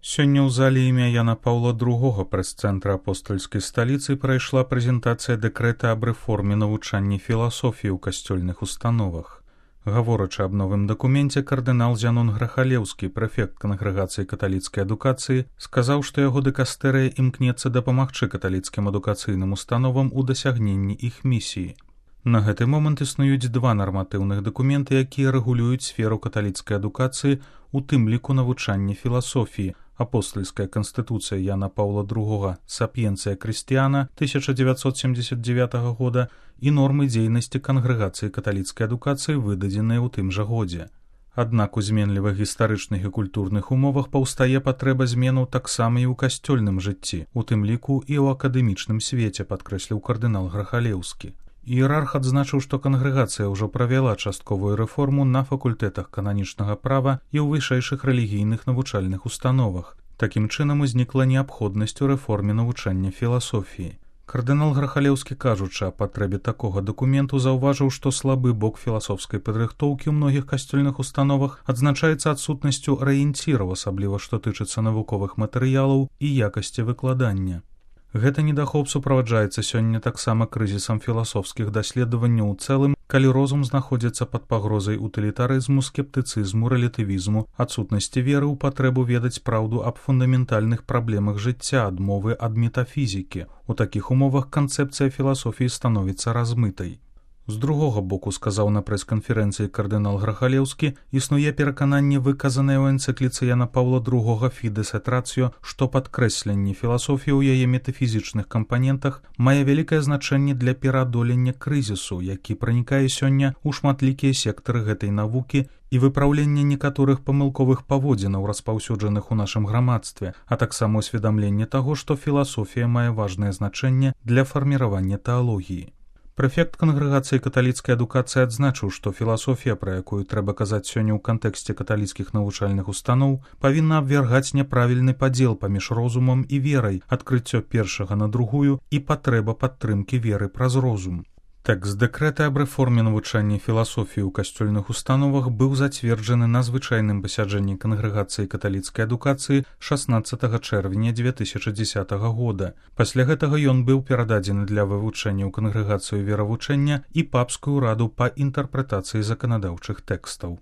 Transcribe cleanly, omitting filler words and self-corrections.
Сёння ў зале імя Яна Паўла II прэс-цэнтра апостальскай сталіцы прайшла прэзентацыя дэкрэта аб рэформе навучання філасофіі ў касцёльных установах. Гаворачы аб новым дакуменце, кардынал Зянон Грахалеўскі, прэфект кангрэгацыі каталіцкай адукацыі, сказаў, што яго дыкастэрыя імкнецца дапамагчы каталіцкім адукацыйным установам у дасягненні іх місіі. На гэты момант існуюць два нарматыўных дакументы, якія рэгулююць сферу каталіцкай адукацыі, у тым ліку навучання філасофіі, апостальская канстытуцыя Яна Паўла II «Сапіенцыя Крыстіяна» 1979 года і нормы дзейнасці кангрэгацыі каталіцкай адукацыі, выдадзеныя ў тым жа годзе. Аднак у зменлівых гістарычных і культурных умовах паўстае патрэба зменаў таксама і ў касцёльным жыцці, у тым ліку і ў акадэмічным свеце, падкрэсліў кардынал Грахалеўскі. Іерарх адзначыў, што кангрэгацыя ўжо правяла частковую рэформу на факультэтах кананічнага права і ў вышэйшых рэлігійных навучальных установах. Такім чынам узнікла неабходнасць у рэформе навучання філасофіі. Кардынал Грахалеўскі, кажучы аб патрэбе такога дакументу, заўважыў, што слабы бок філасофскай падрыхтоўкі ў многіх касцёльных установах адзначаецца адсутнасцю арыенціраў, асабліва што тычыцца навуковых матэрыялаў і якасці выкладання. Гэта недахоп суправаджаецца сёння таксама крызісам філасофскіх даследаванняў у цэлым, калі розум знаходзіцца пад пагрозай утылітарызму, скептыцызму, рэлятывізму, адсутнасці веры ў патрэбу ведаць праўду аб фундаментальных праблемах жыцця, адмовы ад метафізікі. У такіх умовах канцэпцыя філасофіі становіцца размытай. З другога боку, сказаў на прэс-канферэнцыі кардынал Грахалеўскі, існуе перакананне, выказанае ў энцыкліцы Яна Паўла II «Фідес эт рацыё», што падкрэсленне філасофіі ў яе метафізічных кампанентах мае вялікае значэнне для пераадолення крызісу, які пранікае сёння ў шматлікія сектары гэтай навукі і выпраўлення некаторых памылковых паводзінаў, распаўсюджаных у нашым грамадстве, а таксама усведамленне таго, што філасофія мае важнае значэнне для фарміравання тэалогіі. Прэфект кангрэгацыі каталіцкай адукацыі адзначыў, што філасофія, пра якую трэба казаць сёння ў кантэксце каталіцкіх навучальных устаноў, павінна абвяргаць няправільны падзел паміж розумам і верай, адкрыццё першага на другую і патрэба падтрымкі веры праз розум. Тэкст дэкрэта аб рэформе навучання філасофіі ў касцёльных установах быў зацверджаны на звычайным пасяджэнні кангрэгацыі каталіцкай адукацыі 16 чэрвеня 2010 года. Пасля гэтага ён быў перададзены для вывучэння ў кангрэгацыю веравучэння і папскую раду па інтэрпрэтацыі заканадаўчых тэкстаў.